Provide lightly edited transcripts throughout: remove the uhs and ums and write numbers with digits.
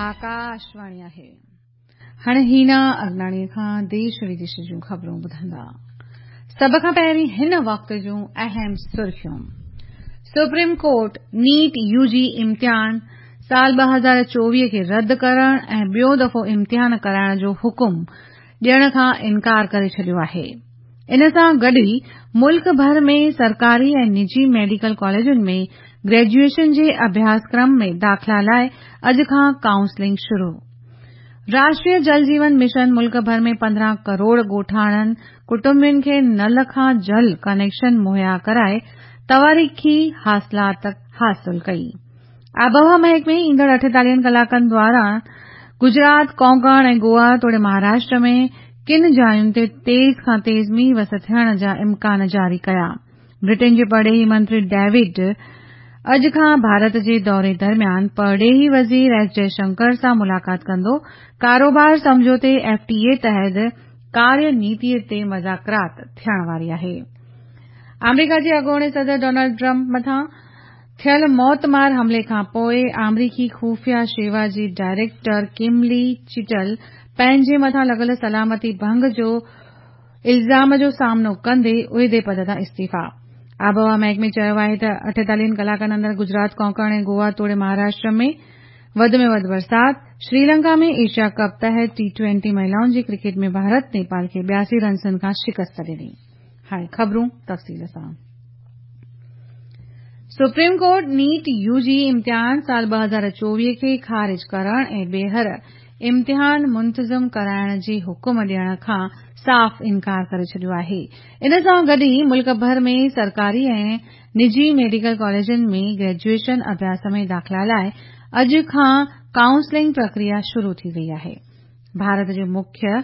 آڪاشواڻي آهي. هاڻي هينا اگناڻي کان ديش وديش جون خبرون ٻڌندا. سڀ کان پهرين هن وقت جون اهم سرخيون. سپريم ڪورٽ نيٽ يو جي امتحان سال 2024 کي رد ڪرڻ ۽ ٻيو دفعو امتحان ڪرائڻ جو حڪم ڏيڻ کان انڪار ڪري ڇڏيو آهي. ان سان گڏ ئي ملڪ ڀر ۾ سرڪاري ۽ نجي ميڊيڪل ڪاليجن ۾ گريجوئيشن جي اڀياسڪرم ۾ داخلا لاء اڄ کان ڪائونسلنگ شروع. راشٽريه جل جيون مشن ملڪ ڀر ۾ 15 ڪروڙ ڳوٺاڻن ڪٽنبن کي نل کان جل ڪنيڪشن مهيا ڪرائي تواريخي حاصلات حاصل ڪئي. آبهوا محڪمي ايندڙ 48 ڪلاڪن دوران گجرات، ڪونڪڻ ۽ گوا توڙي مهاراشٽر ۾ ڪن جاين تي تيز کان تيز مينهن وس ٿيڻ جا امڪان جاري ڪيا. برٽن جي پرڏيهي منتري ڊيوڊ اڄ کان ڀارت جي دوري درميان پرڏيهي وزير ايس جئه شنڪر سان ملاقات ڪندو، ڪاروبار سمجهوتي ايف ٽي اي تحت ڪاريه نيتي تي مذاڪرات ٿيڻ واري آهي. آمريڪا جي اڳوڻي صدر ڊونلڊ ٽرمپ مٿان ٿيل موتمار حملي کانپوء آمريڪي خفيه شيوا جي ڊائريڪٽر ڪملي چٽل پنهنجي مٿان لڳل سلامتي ڀنگ جو الزام جو سامنو ڪندي عهدي پد تان استعيفيٰ. آبهوا محڪمي چيو آهي ته 48 ڪلاڪن اندر گجرات، ڪونڪڻ ۽ گوا توڙي مهاراشٽر ۾ وڌ ۾ وڌ برسات، شريلنڪا ۾ ايشيا ڪپ تحت ٽي ٽوئنٽي مهلائن جي ڪرڪيٽ ۾ ڀارت نيپال کي 82 رنسن کان شڪست ڏني. هاڻي خبرون تفصيل سان. سپريم ڪورٽ نيٽ يو جي امتحان سال 2024 کي خارج ڪرڻ ۽ ٻيهر امتحان منتظم ڪرائڻ جي حڪم ڏيڻ کان صاف انڪار ڪري ڇڏيو آهي. ان سان گڏ ئي ملڪ ڀر ۾ سرڪاري ۽ نجي ميڊيڪل ڪاليجن ۾ گريجوئيشن اڀياس ۾ داخلا لاء اڄ کان ڪائونسلنگ پرڪريا شروع ٿي وئي آهي. ڀارت جي مکيه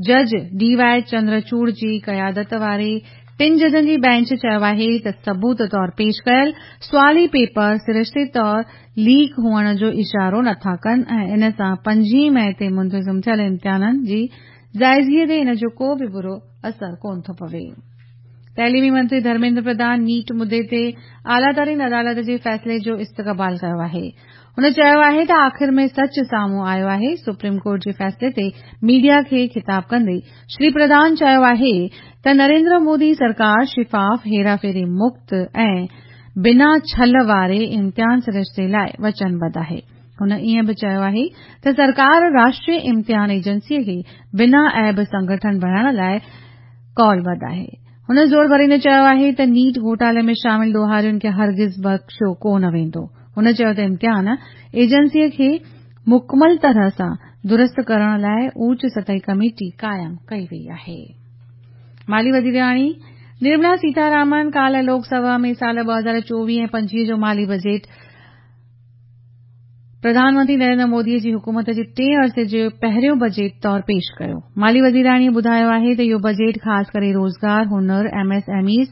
جج ڊي واء چندرچوڙ جي قيادت واري ٽن ججن جي بينچ چيو آهي ته ثبوت طور پيش ڪيل سوالي پيپر سرشتي طور ليڪ هئڻ جو اشارو نٿا ڪن ۽ ان سان 25 مئي تي منتظم ٿيل امتحانن جي جائزي تي ان جو ڪو به برو اثر ڪونه ٿو پوي. تعليمي منتري ڌرميندر پرڌان نيٽ مدي تي اعليٰ ترين عدالت جي فيصلي جو استقبال ڪيو آهي. هن چيو آهي ته آخر ۾ سچ سامهون آيو آهي. سپريم ڪورٽ جي فيصلي تي ميڊيا کي خطاب ڪندي شري پرڌان چيو آهي ته نريندر مودي سرڪار شفاف، هيراڦيري مڪت ۽ بنا ڇل واري امتحان سرشتي لاء وچنبڌ آهي. هن ائين به چيو آهي ته سرڪار راشٽريه امتحان ايجنسي کي بنا عيب سنگٺن بڻائڻ لاء قولبڌ آهي. هن زور ڀريندي چيو آهي ته نيٽ گهوٽالي ۾ شامل ڏوهارين کي هرگز بخشيو ڪو نه ويندو. هن چيو ته امتحان ايجنسي کي مڪمل طرح سان درست ڪرڻ لاء اوچ سطحي ڪميٽي قائم ڪئي وئي آهي. مالي وزيراڻي نرملا سيتارامن ڪالهه لوڪ سڀا ۾ سال 2024 ۽ 25 جو مالي بجيٽ پرڌان منتري نريندر مودي جي حڪومت جي ٽئين عرصي جو پهريون بجيٽ طور پيش ڪيو. مالي وزيراڻيء ٻڌايو آهي ته اهو بجيٽ خاص ڪري روزگار، هنر، ايم ايس ايم ايز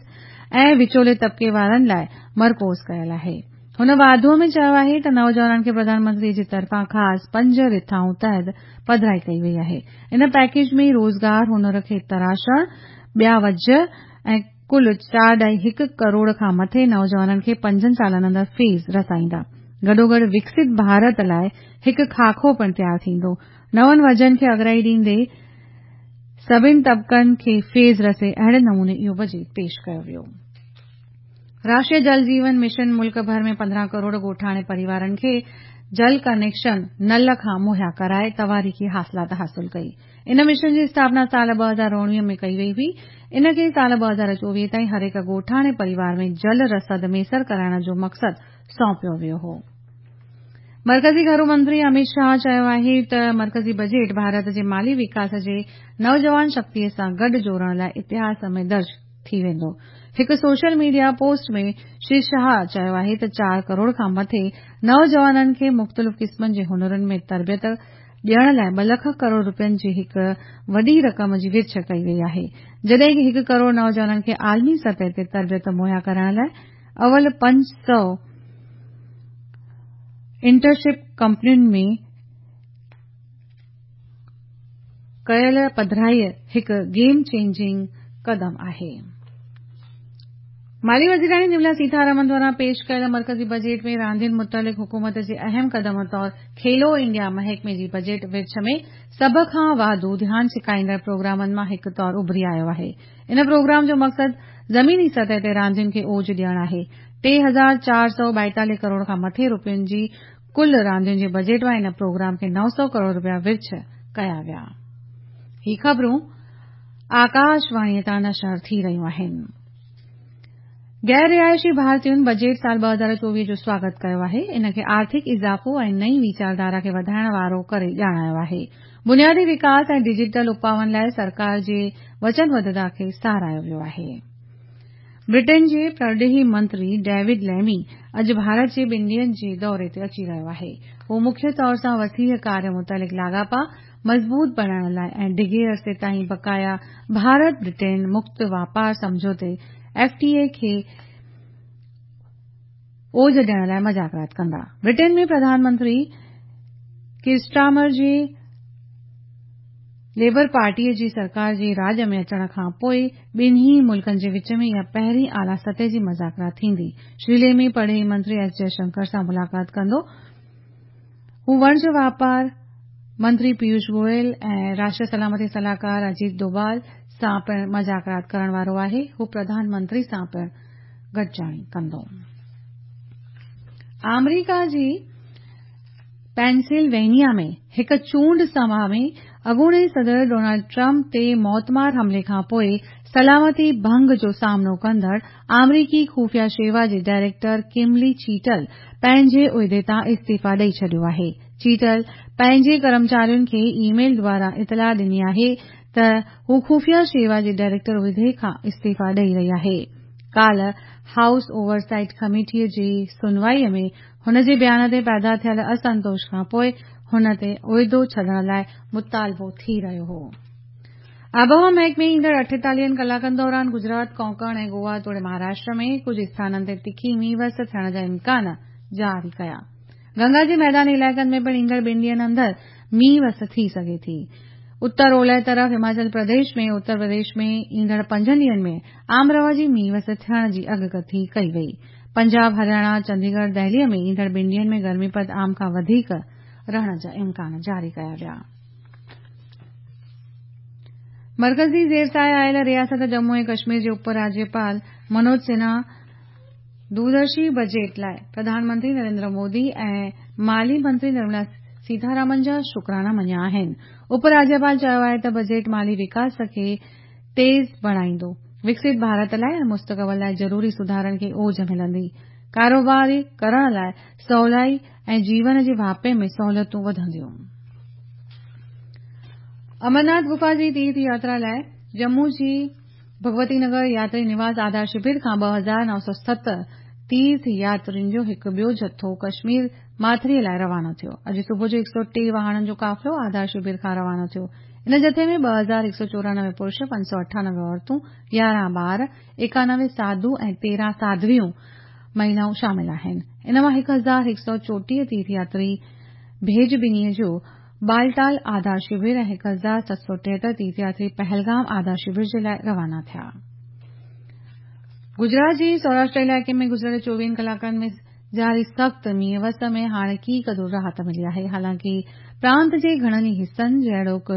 ۽ وچولي طبقي وارن لاء مرڪوز ڪيل آهي. هن واڌوء ۾ چيو آهي ته نوجوانن کي پرڌان منتري جي طرفان خاص پنج رٿائون تحت پڌرائي ڪئي وئي آهي. ان پيڪيج ۾ روزگار، هنر کي تراشڻ، ٻيا وجهه ۽ ڪل 4.1 ڪروڙ کان مٿي نوجوانن کي پنجن سالن اندر فيض رسائيندا. گڏوگڏ وڪست ڀارت لاء هڪ خاڪو پڻ تيار ٿيندو. نون وجهن کي اڳرائي ڏيندي سڀن طبقن کي فيض رسي اهڙي نموني اهو بجيٽ پيش ڪيو ويو. راشٽريه جل جيون مشن ملڪ ڀر ۾ 15 ڪروڙ ڳوٺاڻي پريوارن کي جل ڪنيڪشن نل کان مهيا ڪرائي تواريخي حاصلات حاصل ڪئي. ان مشن جي اسٿاپنا سال 2019 ۾ ڪئي وئي هئي. ان کي سال 2024 تائين هر هڪ ڳوٺاڻي پريوار ۾ جل رسد ميسر ڪرائڻ جو مقصد سونپيو ويو هو. مرڪزي گهرو منتري اميت شاهه چيو آهي ته مرڪزي بجيٽ ڀارت جي مالي وڪاس جي نوجوان شڪتي سان گڏ جوڙڻ لاء اتهاس ۾ درج ٿي ويندو. هڪ social media post ۾ Shri Shah چيو آهي ته چار ڪروڙ کان مٿي نوجوانن کي مختلف قسمن جي هنرن ۾ تربيت ڏيڻ لاء 2 لک ڪروڙ رپين جي هڪ وڏي رقم جي ورڇ ڪئي وئي آهي جڏهن ڪه هڪ ڪروڙ نوجوانن کي عالمي سطح تي تربيت مهيا ڪرائڻ لاء اول 500 انٽرشپ ڪمپنين ۾ ڪيل پڌرائي هڪ گيم چينجنگ قدم آهي. مالي وزيراڻي نرملا سيتارامن دواران پيش ڪيل مرڪزي بجيٽ ۾ راندين متعلق حڪومت جي اهم قدم طور کيلو انڊيا محڪمي جي بجيٽ ورڇ ۾ سڀ کان واڌو ڌيان ڇڪائيندڙ پروگرامن مان هڪ طور اڀري آيو آهي. ان پروگرام جو مقصد زميني سطح تي راندين کي اوج ڏيڻ آهي. 3442 ڪروڙ کان مٿي روپين جي ڪل راندين جي بجيٽ مان ان پروگرام کي 900 ڪروڙ روپيا ورڇ ڪيا ويا. هي خبرون آڪاشواڻي تان نشر ٿي رهيون آهن. غير رهائشي ڀارتين بجيٽ سال 2024 جو سواگت ڪيو آهي. ان کي آرٿڪ اضافو ۽ نئين ويچارڌارا کي وڌائڻ وارو ڪري ڄاڻايو آهي. بنيادي وڪاس ۽ ڊجيٽل اپائن لاء سرڪار جي وچنبڌتا کي ساراهيو ويو آهي. برٽن جي پرڏيهي منتري ڊيوڊ ليمي اڄ ڀارت جي ٻن ڏينهن جي دوري تي اچي رهيو آهي. هو مکيه طور سان وسيع ڪاريه متعلق لاڳاپا مضبوط بڻائڻ لاء ۽ ڊگهي عرصي تائين بقايا ڀارت برٽن مڪت واپار سمجهوتي ايف ٽي اي کي اوج ڏيڻ لاء مذاڪرات ڪندا. Burton ۾ Pradhan Mantri Keir Starmer جي ليبر پارٽيء جي سرڪار جي راڄ ۾ اچڻ کان پوء ٻنهي ملڪن جي وچ ۾ اها پهرين اعليٰ سطح جي مذاڪرات ٿيندي. شري ليمي پرڏيهي منتري ايس جئه شنڪر سان ملاقات ڪندو. هو وڻج واپار منتري پيوش گوئل ۽ راشٽريه سلامتي صلاحڪار اجيت دوبال سان پڻ مذاڪرات ڪرڻ وارو آهي. هو پرڌان منتري سان پڻ گڏجاڻي ڪندو. آمريڪا جي پينسلوينيا ۾ هڪ چونڊ سڀا ۾ اڳوڻي صدر ڊونلڊ ٽرمپ تي موتمار حملي کان پوء سلامتي ڀنگ جو سامنو ڪندڙ آمريڪي خفيه شيوا جي ڊائريڪٽر ڪملي چيٽل پنهنجي عهدي تان استعيفيٰ ڏئي ڇڏيو آهي. چيٽل پنهنجي ڪرمچارين کي اي ميل دواران اطلاع ڏني آهي ته هو خفيه شيوا جي ڊائريڪٽر عهدي کان استعيفيٰ ڏئي رهي آهي. ڪالهه هائوس اوور سائيٽ ڪميٽي جي سنوائي ۾ هن جي بيان تي پيدا ٿيل اسنتوش کان پوء هن تي عهدو ڇڏڻ لاء مطالبو ٿي رهيو هو. آبهوا محڪمي ايندڙ 48 ڪلاڪن دوران گجرات، ڪونڪڻ ۽ گوا توڙي مهاراشٽر ۾ ڪجهه اسٿانن تي تکي مينهن وس ٿيڻ جا امڪان جاري ڪيا. گنگا جي ميداني علائقن ۾ پڻ ايندڙ ٻن ڏينهن اندر مينهن وس ٿي سگهي ٿي. اتر اولهه طرف هماچل پرديش ۾ اتر پرديش ۾ ايندڙ پنجن ڏينهن ۾ عام رواجي مينهن وس ٿيڻ جي اڳڪٿي ڪئي وئي. پنجاب، هرياڻا، چنديڳڙهه، دهلي ۾ ايندڙ ٻن ڏينهن ۾ گرمي پد عام کان وڌيڪ رهڻ جا امڪان جاري ڪيا ويا. مرڪزي زير سايه آيل رياست ڄمون ۽ ڪشمير جي اپ راجيپال منوج سنها دوردرشي بجيٽ لاء پرڌان منتري نريندر مودي ۽ مالي منتري نرملا سيتارامن جا شڪرانا مڃيا آهن. اپ راجيپال چيو آهي ته بجيٽ مالي وڪاس کي تيز بڻائيندو، وڪست ڀارت لاء ۽ مستقبل لاء ضروري سڌارن کي اوج ملندي، ڪاروبار ڪرڻ لاء سولائي ۽ جيون جي واهپي ۾ سهولتون وڌنديون. امرناٿ گفا جي تيرٿ ياترا لاء ڄمون جي ڀڳوتي نگر ياتري نواس آڌار شبر کان 2907 تيرٿ ياترين جو هڪ ٻيو جٿو ڪشمير ماٿريء لاء روانو ٿيو. اڄ صبح جو 103 واهڻن جو قافلو آڌار شبر کان روانو ٿيو. ان جٿي ۾ 2194 پرش، 598 عورتون، 11 ٻار، 91 ساڌو ۽ 13 ساڌويون مهلائون شامل آهن. ان مان 1134 تيرٿ ياتري ڀيڄ ٻنيء جو بالٽال آڌار شبر ۽ 1773 تيرٿ ياتري پهلگام آڌار شبر جي لاء روانا ٿيا. گجرات جي سوراشٽر علائقي ۾ گذريل 24 ڪلاڪن ۾ جاري سخت مينهن وس ۾ هاڻي ڪي قدر راحت ملي آهي. حالانڪه پرانت جي گهڻن ئي حصن جهڙوڪ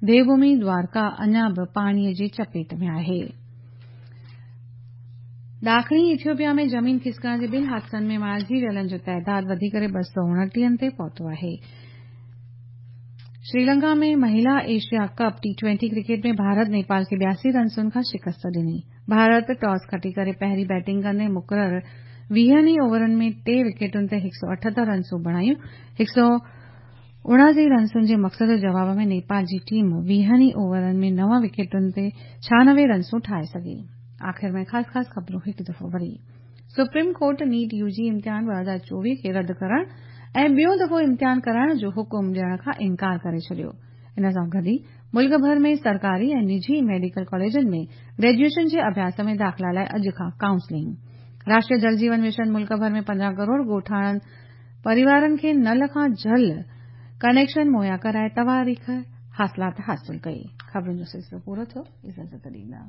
ديوڀومي دوارڪا اڃا به پاڻيء جي چپيٽ ۾ آهي. ڏاکڻي ايٿيوپيا ۾ زمين کسڪڻ جي ٻن حادثن ۾ مارجي ويلن جو تعداد وڌي ڪري 229 تي پهتو آهي. شريلنڪا ۾ مهلا ايشيا ڪپ ٽي-20 ڪرڪيٽ ۾ ڀارت نيپال کي 82 رنسن کان شڪست ڏني. ڀارت ٽاس کٽي ڪري پهرين بيٽنگ ڪندي مقرر 20 ئي اوورن ۾ ٽي وڪيٽن تي 178 رنسون بڻايون. 179 رنسن جي مقصد جي جواب ۾ نيپال جي ٽيم 20 ئي اوورن ۾ نو وڪيٽن تي 96 رنسون ٺاهي سگهي. آخر ۾ خاص خاص خبرون هڪ دفعو وري. سپريم ڪورٽ نيٽ يوجي امتحان 2024 کي رد ڪرڻ ۽ ٻيو دفعو امتحان ڪرائڻ جو حڪم ڏيڻ کان انڪار ڪري ڇڏيو. ان سان گڏ ئي ملڪ ڀر ۾ سرڪاري ۽ نجي ميڊيڪل ڪاليجن ۾ گريجوئيشن جي اڀياس ۾ داخلا لاء اڄ کان ڪائونسلنگ. راشٽريه جل جيون مشن ملڪ ڀر ۾ 15 ڪروڙ ڳوٺاڻن پريوارن کي نل کان جل ڪنيڪشن مهيا ڪرائي تواريخ حاصلات حاصل ڪئي. خبرن جو سلسلو پورو ٿيو. اجازت ڏيندا.